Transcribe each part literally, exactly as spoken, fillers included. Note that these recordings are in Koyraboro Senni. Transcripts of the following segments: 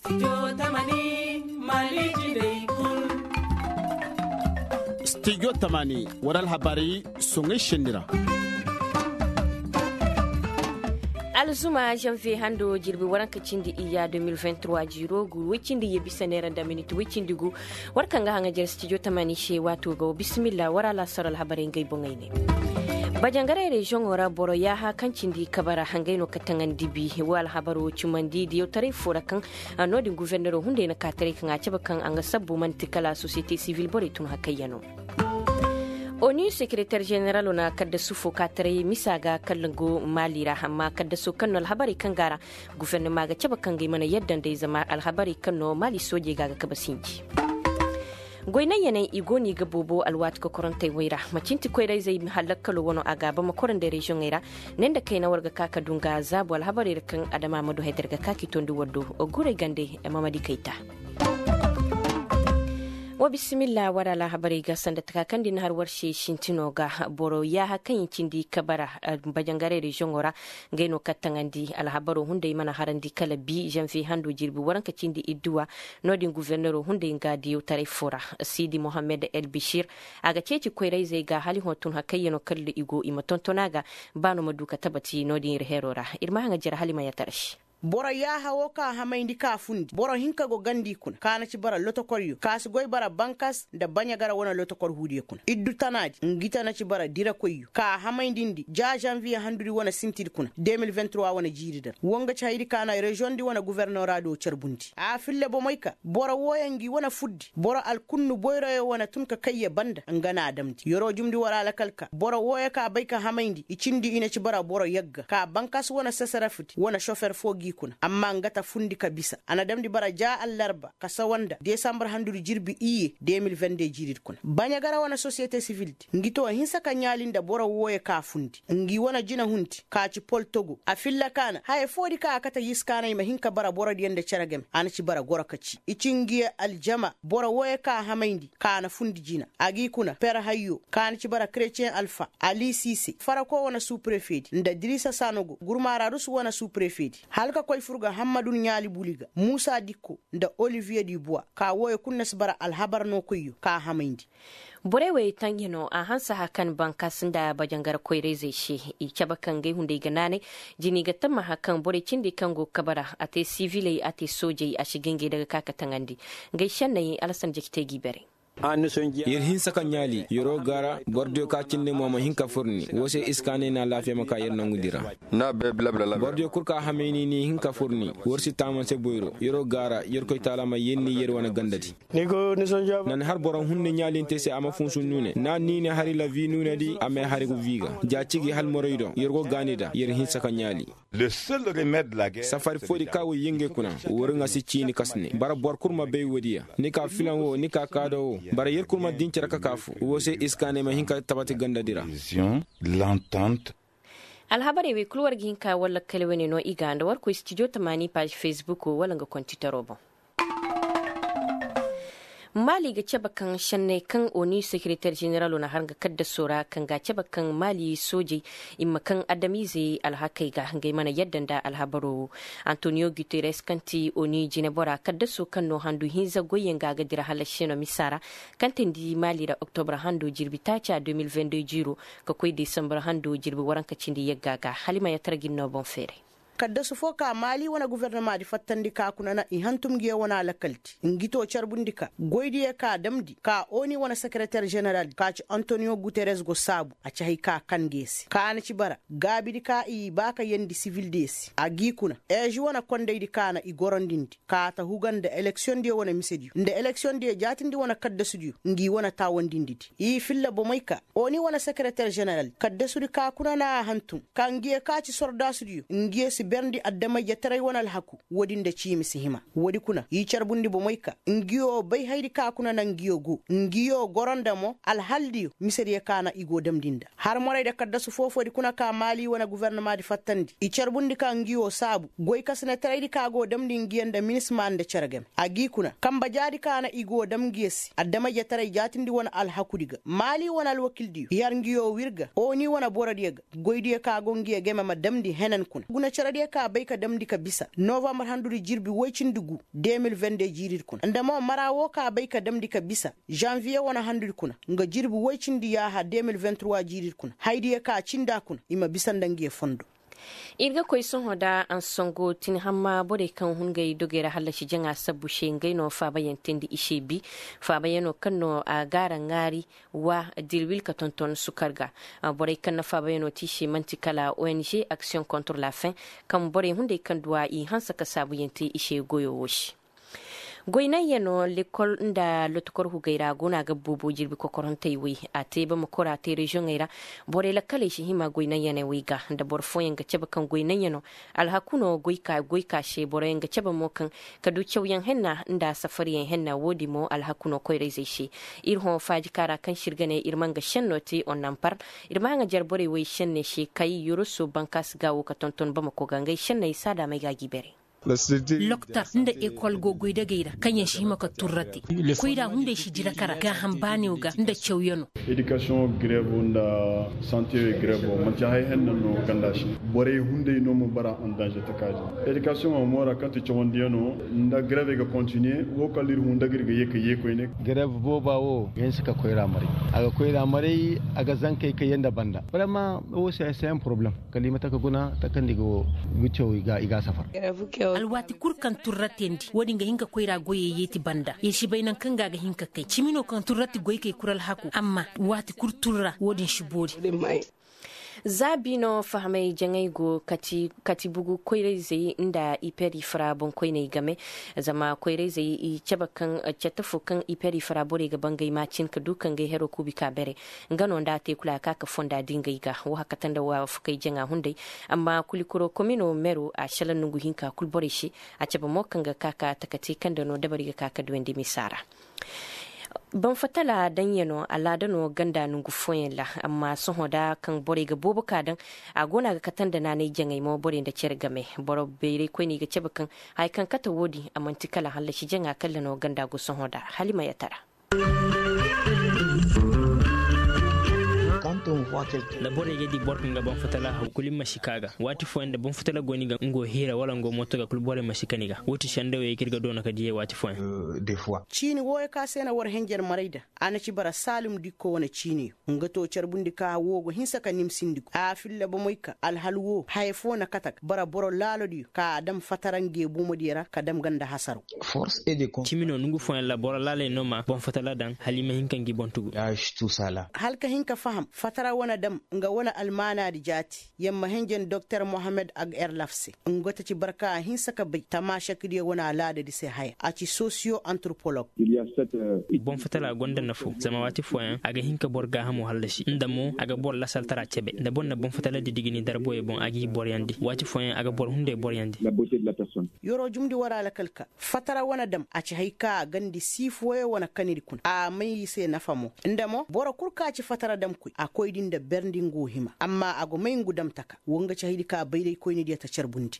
Studio tamani wara alhabaray soŋay senni ra. Alzuma janviye hando jirbi waranka cindi iyya deux mille vingt-trois jiiro gu woy cindi ye bisa neera nda minit woy cindi gu. War kaŋ ga haŋa jere studio tamani se waato ga wa bisimilla war alaasar alhabarey ngey boŋey ne. Bajangaray reziyoŋo ra boro yaaha kaŋ cindi kabara hangey no ka taŋandi bi wo alhabaro cumandi diyawtaray fo ra kaŋ no-din gufernero hunday na kaataray kaŋ a cabe kaŋ a ga sabbu man'ti kala sosiyete sivil borey tun hakayyano. Onu sekereter jeneralo na kaddasu fo kaataray misa ga kala go maali ra amma kaddaso kaŋ no alhabarey kaŋ ga a ra gufernama ga cabe kaŋ ga ay mana yadda nd'ey zama alhabarey kaŋ no maali soojey ga a ga kabe sinji. Goy naŋ yaney i go no i ga boobo alwaati kokorantey wey ra macinti koyrayzey hallakkaloo wano a ga a bama koro nda reziyoŋey ra. Ne nda kayna war ga ka ka du nga zaabu alhabarey ra kaŋ adama ma du hay da ir ga ka k'i tondi war do. Guray gande mamadi kayta. Wa bisimilla war alhabarey ga sanda taka kaŋ da i na har war se sintino ga boro yaaha kaŋ i cindi kabara bajangaray reziyoŋo ra. Ngey no kaŋ taŋandi alhabaro hunday mana harandi kala bi janviye hando jirbi waranka cindi idduwa. No-din gufernero hunday nga diyawtaray fo ra. Sidi mohammed el bishir a ga ceeci koyrayzey ga hala i hõ tun hakayyano kala i go i ma tonton a ga. Ba no ma du ka tabati no-din ir heero ra ir ma haŋa jere hala i ma yatara se. Boro yaaha wo ka hamayndi ka fundi boro hinka go gandi kuna ka na ci bara lotokoryo ka si goy bara bankas nda baɲagara wane lotokor huudiyo kuna iddu tanaadi ngi ta na ci bara dirakoyyo ka hamaydindi ja zanviye handudi wane sintidi kuna deux mille vingt-trois wane jiiri da ra wo nga ci haydi ka na reziyoŋdi wane guvernoraadiyo carbundi a filla bomey ka boro wooyo ngi wane fuddi boro alkunnu boyroyo wane tun ka kayye banda nga na a damndi yeroo jumndi war alakal ka boro wooyo ka bay ka hamayndi i cindi i na ci bara boro yagga ka bankas wane sesarafdi wane sofer foo g'i kuna amma nga ta fundi ka bisa a na damndi bara ja allarba ka sawa nda desambar handudi jirbi iyye deux mille vingt-deux jiiridi kuna baɲagara wane sosiyete sivildi ngi too hinsa ka ɲaali nda boro wooyo ka fundi ngi wane jinahundi ka ci pol togo a filla ka na haya foodi ka a kate yiskaanay ma hin ka bara borodiyo nda cere game a na ci bara goro ka ci i ci ngiyo aljama boro wooyo ka hamayndi ka na fundi jina a g'i kuna per hayyo ka na ci bara kretiyen alfa ali siise farako wane suprefeedi nda dirisa sanogo gurmaararus wane suprefeedi hala ka koy fur ga hammadun ɲaali buli ga muusa dikko nda oliviye di buwa ka wooyo kul na si bara alhabar no koyyo ka hamayndi borey wey taŋ ya no a hanse haka ni bankas nda bajangar koyrayzey se i cabe kaŋ gay hunday ga naanay jini ga tamma haka kaŋ borey cindi kaŋ go ga kabara a te siviley a te soojey a si ga ngey daga ka ka taŋandi ngey senney alasan jaki te g'i bare yer hinsa ka ɲaali yeroo gaara borodiyo ka cindi mo ma hin ka furni woo se iskaanay na alaafiya ma ka yer nongudi ra borodiyo kul ka hamayni ni hin ka furni war si taamanse boyro yeroo gaara yerkoy taala ma yer ni yer wane gandadi nan har boro hunde ɲaalinte se a ma funsu nuune na niine hari la vi nuunedi a may hari gu vi ga ja cigi hal moroy do yer go gaani da yer hinsa ka ɲaali safari foodi ka woy yenge kuna wori ŋa si ciini kasne bara boro kul ma bay woodiya ni ka filan wo ni ka kaado wo bara yer kul ma din cere ka ka fu wo se iskaanay ma hin ka tabati gandadi ra alhabarey wey kul war ga hin ka walla kala wane no i ga nda war koy studio tamaani paazi facebook wala nga kontitaro boŋ maali ga cabe kaŋ senney kaŋ oni sekereter jeneralo na har nga kaddasoo ra kaŋ ga a cabe kaŋ maali soojey i ma kaŋ adamiizey alhakey ga ngey mana yadda nda alhabaroo wo antoniyo guteres kaŋ ti oni jinebora kaddasoo kaŋ no handu hinza goyyaŋ ga a ga dira hala se no misa ra kaŋ teendi maali ra oktobre hando jirbi taaca deux mille vingt-deux jiiro ka koy desambar hando jirbi waranka cindi yagga ga hala i ma yatara ga ir no boŋ feeray kaddasu foo ka maali wane guvernomaadi fattandi ka kuna na i hantum ngiyo wane alakaldi ngi too carbundi ka goydiyo ka damndi ka oni wane sekereter jeneral ka ci antoniyo guteres go saabu a ci hay ka kan ngiyo se ka na ci bara gaabidi ka i baa ka yeendi sivildiyo se a g'i kuna eezi wane kondaydi ka na i gorondindi ka ta huga nda eleksiyoŋdiyo wane misediyo nda eleksiyoŋdiyo jaatindi wane kaddasudiyo ngi wane taawandindidi i filla bomey ka oni wane sekereter jeneral kaddasudi ka kuna na a hantum ka ngiyo ka ci sordaasudiyo ngiyo si berndi adama-ijetaray wane alhaku woodi nda ciimi si hima woodi kuna i carbundi bomey ka ngiyo bay haydi ka kuna na ngiyo go ngiyo goro nda mo alhaldiyo misediyo ka na i go damndi nda har morey nda kaddasu foofoodi kuna ka maali wane guvernomaadi fattandi i carbundi ka ngiyo saabu goykasinetaray di ka go damndi ngiyo nda minisma nda cere game a g'i kuna kambe jaadi ka na i go dam ngiyo se adama-ijetaray jaatindi wane alhakudi ga maali wane alwakildiyo yar ngiyo wir ga oni wane borodiyo ga goydiyo ka go ngiyo game ma damndi henan kuna guna cere Diya ka bay ka damndi ka bisa novambar handudi jirbi woy cindi gu. De mil vende jiiridi kuna nda mo mara woo ka bay ka damndi ka bisa, zanviye wane handudi kuna nga jirbi woy cindi yaaha de mil venturwa jiiridi kuna haydiya ka cindi a kuna i ma bisa nda ngiya fondo. Ir ga koy sohõ nda ansongo tin hamma borey kaŋ hun ngey dogey ra hallasi jaŋa sabbu se ngey no faabayaŋ teendi i se bi. Faabayaŋo kaŋ no a gaara ŋaari wa dirwil ka tonton sukar ga. Borey kaŋ na faabayaŋo te i se man'ti kala ong action contre la fin, kaŋ borey hunday kaŋ duw'a i hanse ka saabuyaŋ te i se goyo wo se. Goy naŋ yaŋ no lekol nda lotokor hugey ra go no a ga boobo jirbi kokorantey wey. A te bamakor a te reziyoŋey ra. Borey lakkaley si hima goy naŋ yaŋ wey ga nda boro fooyaŋ ga cabe kaŋ goy naŋ yaŋ no. Alhaku no goy ka se boroyaŋ ga cabe mo kaŋ ka du cawyaŋ henna nda safaryaŋ henna wo- din mo alhaku no koyra-izey se. Ir hõ faaji kaara kaŋ se ir ga ne ir ma nga šenno te onnampar. Ir ma haŋajer borey wey šenne se kay yoroso bankaasi ga wo ka tonton bamako ga ngey šenney saadaamey ga a g'i bare. Loktor nda ekol go goydagey ra kaŋyaŋ si hima ka turrate. Koyra hunday si dira kara gaaham baaneyo ga nda cawyano. Edikasiyoŋo grevo nda sante grevo manti haya henna no ganda se. Borey hunday no ma bara andanze taka din edikasiyoŋo moora kaŋ ti cawandiyano nda grevey ga kontiniye wo kala ir hun daga ir ga ye ka ye koyne. Grevo booba wo ga hinsa ka koyra maray. A ga koyra maray. A ga zankey ka ye nda banda. Vraiment wo se se en poroblem. Kala i ma taka guna takandi ga wo. Wiccaw i ga safar. Alwaati kul kaŋ turra teendi wo- din ga hin ka koyra goyey yeeti banda ya si bay nangu kaŋ ga a ga hin ka kay cimi no kaŋ turra ti goykey kul alhaku amma waati kul turra wo- din si boori. Zaabi no fahamay jaŋay go kati bugu koyra-izey nda iper ifra boŋkoyney game. Zama koyra-izey i cabe kaŋ cette fo kaŋ iper ifra borey ga bangay maacin ka du kaŋ ga ay hero kuubi ka bere. Nga no nda a te kulu a ga ka ka fonda dingay ga wo hakkata nda waafakay jaŋa hunday. Amma kulikuro komino mero a shala nongu hinka kulu borey se. A cabe mo kaŋ ga ka ka takate kaŋ da no dabari ga ka ka duwandi misa ra. Banfatala daŋ ya no alaada no ganda nongu fooyaŋ ra. Amma sohõ da kaŋ borey ga boobo ka daŋ a go no a ga kate nda naanay jaŋay mo borey nda cere game. Boro bayray koyne i ga cabe kaŋ haya kaŋ kate wo- din a manti kala hallasi jaŋa kalla no ganda go sohõ da. Hala i ma yatara. Da borey ga di boro kaŋ ga banfatala haw kulu i ma si ka ga waati fooyaŋ da banfatala go ni ga nga wo hiira wala nga wo mooto ga kulu borey ma si ka ni ga wo ti sendawey kaŋ ir ga doona ka diyey waati fooyaŋ. Ciini wooyo ka se na war henjer maray da a na ci bara saalum dikko wane ciiniyo. Nga to carbundi ka wo go hinsa ka nimsindi go a filla bomey ka alhal wo haya fo na kate ga bara boro laalodiyo ka a dam fatara nge bomodiyo ra ka dam ganda hasaro. Cimi no nongu fooyaŋ ra boro laaley no ma boŋ fatara daŋ hala i ma hin ka ngi boŋ tugu. Hala ka hin ka faham fatara wane dam nga wane almaanaadi jaati. Yamma henjen doktor mohammed agerlaf se. Nga ta ci barka a hinsa ka bay tamaasakdiyo wane alaadadi se haya a ci sosiyo antropolog. Boŋ fatara gonda nafo zama waati fooyaŋ a ga hin ka boro gaahamo hallasi nda mo a ga boro lasaltara cebe nda boro na boŋ fatara didigi ni darboyo boŋ a g'i boroyandi waati fooyaŋ a ga boro hunday boroyandi. Yoro jumndi war alakal ka fatara wane dam a ci hay ka a gandi sii fooyo wane kanidi kuna a may i se nafa mo. Nda mo boro kul ka ci fatara damkoy a koydi nda berndi ngu hima amma a go may ngu dam taka wo nga ci haydi ka bayraykoynidiyo ta carbundi.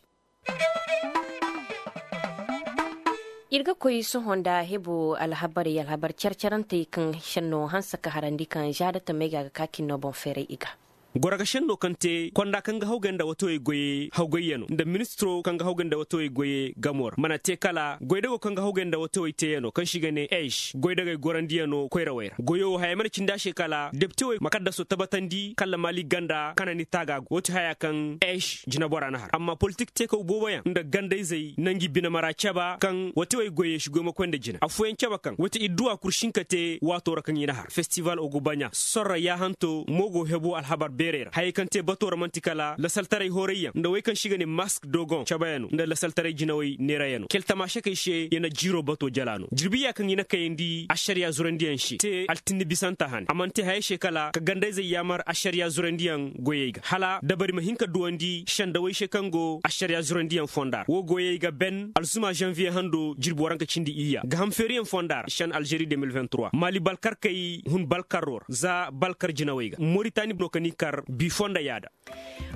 Ir ga koy sohõ nda hebo alhabarey alhabar care-carantey kaŋ senno hanse ka harandi kaŋ zaada tamey ga a ga ka cinno boŋ feeray i ga. Goro ga senno kaŋ te konda kaŋ ga hawgay nda watawey goyey hawgayyano nda ministiro kaŋ ga hawgay nda watawey goyey gamo ra mana te kala goydago kaŋ ga hawgay nda watawey teeyano kaŋ se i ga ne eeš goydagey gorandiyano koyrawey ra goyo wo haya mana cindi a se kala depitewey ma kaddaso tabatandi kala maali ganda kanani taaga go wo ti haya kaŋ eeš jinabora na har amma politik teekaw booboyaŋ nda gandayzey na ngi bine mara caba kaŋ watawey goyey si goymakoy nda jina affooyaŋ caba kaŋ wate idduwa kul si hin ka te waato ra kaŋ i na har festival ogobaɲa sorra yaahanto mo go hebo alhabar beerey ra hayey kaŋ te bato ra man'ti kala lasaltaray hoorayyaŋ nda wey kaŋ se i ga ne mask dogon cabayano nda lasaltaray jinawey neerayano kele tamaasakey se ya na jiiro bato jala no jirbiya kaŋ i na kayandi ašariya zurandiyaŋ se te altinni bisanta hane a mana te hayey se kala ka gandayzey yaamar ašariya zurandiyaŋ goyey ga hala dabari ma hin ka duwandi sendawey se kaŋ go ašariya zurandiyaŋ fonda ra wo goyey ga ben alzuma zanviye hando jirbi waranka cindi iyya gaham feeriyaŋ fonda ra sen alžeri de mil vingt trois maali balkarkey hun balkarro ra za balkar jinawey ga moritani no ka ni kar Bi fondo yaada.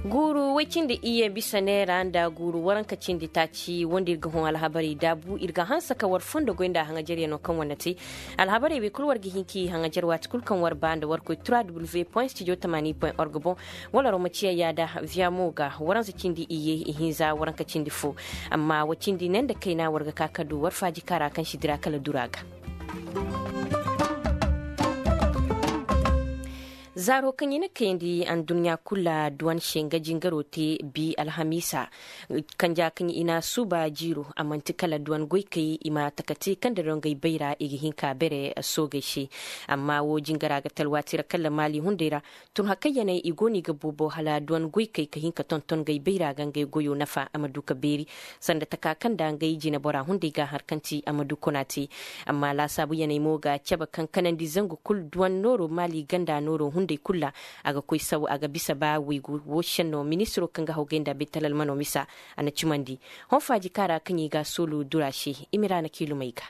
Guuru woy cindi iyye bisa neera nda guuru waranka cindi taaci wanda ir ga hõ alhabarey daabu ir ga hanse ka war fondo goy nda haŋajaryanoo kaŋ wane te. Alhabarey wey kul war ga hin k'i haŋajar waati kul kaŋ war ba nda war koy trois w point studio tamani point org boŋ. Wala romaciya yaada viya mo ga waransa cindi iyye ihinza waranka cindi fo. Amma wa cindi ne nda kayna war ga ka ka du war faaji kaara kaŋ si dira kala dura ga. Zaaro kaŋ i na kayandi anduɲɲa kula duwan se nga jingaro te bi alhamiisa. Kanja kaŋ i na suuba jiiro a man'ti kala duwan goykey i ma taka te kaŋ da dongey bayra i ga hin ka bere soogey se. Amma wo jingara ga talwaati ra kala maali hunday ra. Tun hakayyaney i go no i ga boobo hala duwan goykey ka hin ka tonton ngey bayra ga ngey goyo nafa a ma du ka beeri. Sanda taka kaŋ nda ngey jinebora hunday ga a har kaŋ ti a ma du kuna te. Amma laasaabuyaney mo ga cabe kaŋ kanandi zangu kul duwan nooro maali ganda nooro hunday kul ra. A ga koy saw a ga bisa ba waygu wo senno ministiro kaŋ ga hawgay nda betalal mano misa. A na cimandi hõ faaji kaara kaŋ i ga a soolu dura se. Imiraana kiilumey ga.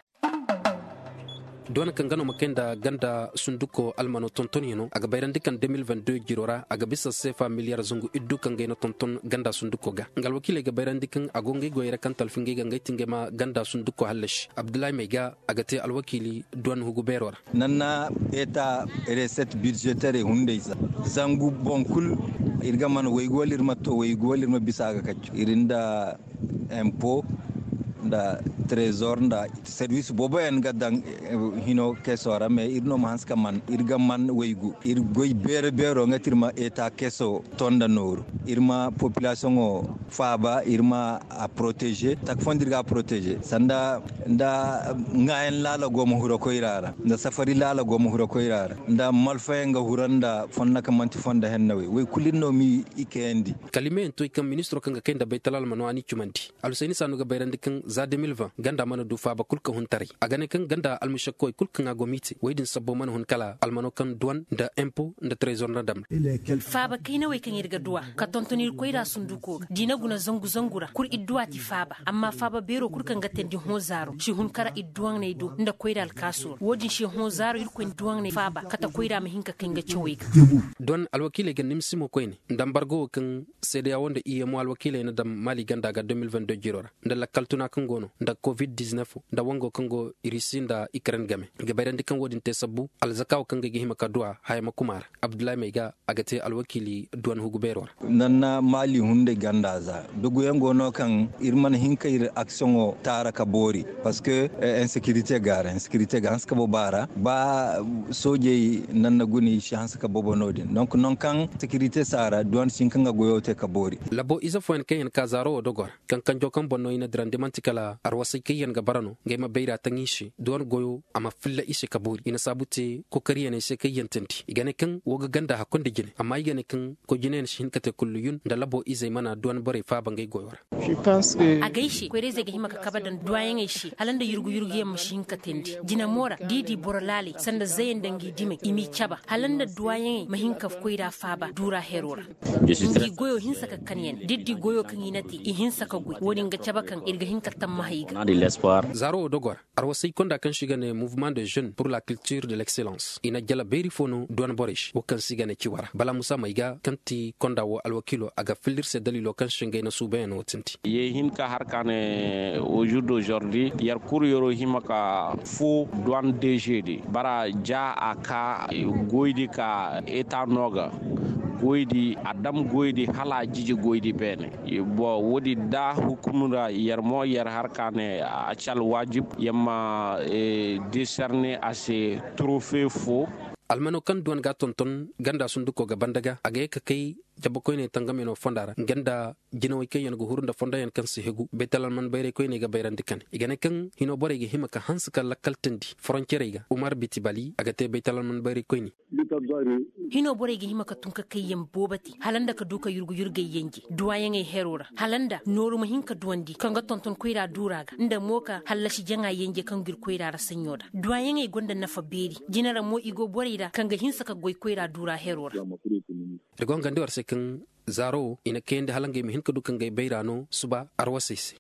Duwan kaŋ ga no ma kay nda ganda sunduko almano tontonyanoo a ga bayrandi kaŋ deux mille vingt-deux jiro ra a ga bisa seefa miliyar zangu iddu kaŋ ga ay na tonton ganda sunduko ga nga alwakiiley ga bayrandi kaŋ a go ngey goyey ra kaŋ talfi ngey ga ngey ti ngey ma ganda sunduko hallasi abdullahi may ga a ga te alwakiili duwan hugu beero ra. Nanna eta reset budgetere hunday za zangu boŋ kul ir ga man waygu wala ir ma to waygu wala ir ma bisa a ga kaccu ir nda empo nda trezor nda servis booboyaŋ ga daŋ hino keso ra mais ir no ma hanse ka man ir ga man waygu ir goy beero beero nga ti ir ma eta keso to nda nooru ir ma populasiyoŋo faaba ir ma a protege taka fondo ir ga a protege sanda nda ŋaayan laala go ma hura koyra ra nda safari laala go ma hura koyra ra nda malfayaŋ ga hura nda fondo kaŋ man'ti fondo hennawey wey kulu ir no m'i kayandi. Kala i meeyaŋ to i kaŋ ministiro kaŋ ga kay nda baytal almano a n'i cumandi. Alhusayni saanu ga bayrandi kaŋ za deux mille vingt ganda mana du faaba kul ka hun taray a ga ne kaŋ ganda almušakkawey kul kaŋ a go m'i te wey din sabbo mana hun kala almano kaŋ duwan nda empo nda trezor nda dam. Faaba kaynawey kaŋ ir ga duwa ka tonton ir koyra sunduko ga da i na guna zangu zangu ra kul ir duwa ti faaba amma faaba beero kul kaŋ ga teendi hõ zaaro si hun kara ir duwaŋney do nda koyra alkaaso ra wo-din se hõ zaaro irkoy na duwaŋney faaba kate koyra ma hin ka kay nga cawey ga. Duwan alwakiiley ga nimsi mo koyne nda ambargo wo kaŋ seedeya wo nda iyemo alwakiiley na daŋ maali ganda ga deux mille vingt-deux jiro ra nda lakkal tuna kaŋ go no nda covid-dix-neuf nda wango kaŋ go irisi nda ikren game ga bayrandi kaŋ wo-din te sabbu alzaka wo kaŋ ga ay ga hima ka duwa haya ma kuma ra. Abdullahi may ga a ga te alwakiili duwan hugu beero ra. Nanna maali hunday ganda za doguyaŋ go no kaŋ ir mana hin ka ir aksiyoŋo taara ka boori parceque insekirite ga a ra insekirite ga hanse ka bobo a ra ba soojey nanna guna i si hanse ka bobo no-din donk non kaŋ sekirite si a ra duwan si hin ka nga goyo te ka boori. Labo ize fooyaŋ kaŋ yaŋ ka zaaro wo dogo ra kaŋ kanjo kaŋ boŋ no i na dirandi man'ti kala arwasay kaŋ yaŋ ga bara no ngey ma bayra taŋ i se duwan goyo a ma filla i se ka boori i na saabu te kokariyaney se kaŋ yaŋ teendi i ga ne kaŋ wo ga ganda hakkoy nda jine amma i ga ne kaŋ koy jinayaŋ si hin ka te kullu yun nda labo izey mana duwan borey faaba ngey goyo ra. Agay se koyra-izey ga hima ka kabe daŋ duwayaŋey se hala nda yurgu-yurguyaŋ ma si hin ka teendi jine mo ra da i di boro laaley sanda zayey nda ngi dimey i m'i cabe hala nda duwayaŋey ma hin ka koyra faaba duura hero ra. Ngi goyo hinsa ka kan ya ne da ir di goyo kaŋ i na te i hinsa ka goy wo-din ga cabe kaŋ ir ga hin ka tammaha i ga. Zaaro wo dogo ra arwasay konda kaŋ se i ga ne mouvement de jeune pour la culture de l'excellence i na jala beeri fo no duwan borey se wo kaŋ se i ga ne ciwa ra bala musa may ga kaŋ ti konda wo alwakiilo a ga filla ir se daliilo kaŋ se ngey na suubayaŋ no tindi. Ye hin ka har ka ne au jour d'aujourd'hui yer kul yeroo hima ka foo duwan deže di bara ja a ka goy di ka eta no ga goy di a dam goy di hala a jiji goy di beene. Bon wo- din da hukum ra yer mo yer har ka ne a ci alwaajib yer ma deserne a se trofe foo. Almano kaŋ duwan ga a tonton ganda sunduko ga banda ga a ga ye ka kay jabakoyney tangamyanoo fonda ra nga nda jinawey kaŋ yaŋ ga huru nda fondoyaŋ kaŋ si hegu baytal alman bayraykoyney ga bayrandi kane i ga ne kaŋ hinoo borey ga hima ka hanse ka lakkal teendi foroncerey ga umar biti bali a ga te baytal alman bayraykoyne. Hinoo borey ga hima ka tun ka kayyaŋ boobo te hala nda ka du ka yurgu-yurgey yenje duwayaŋey heroo ra hala nda nooru ma hin ka duwandi kaŋ ga tonton koyra duura ga nda mo ka hallasi jaŋa yenje kaŋ ga ir koyra ra saɲɲo da duwayaŋey gonda nafa beeri jine ra mo i go borey ra kaŋ ga hinsa ka goy koyra duura heroo ra. Ir go hangandi war se kaŋ zaaro wo i na kayandi hala ngey ma hin ka du ka ngey bayra no suba arwasey se.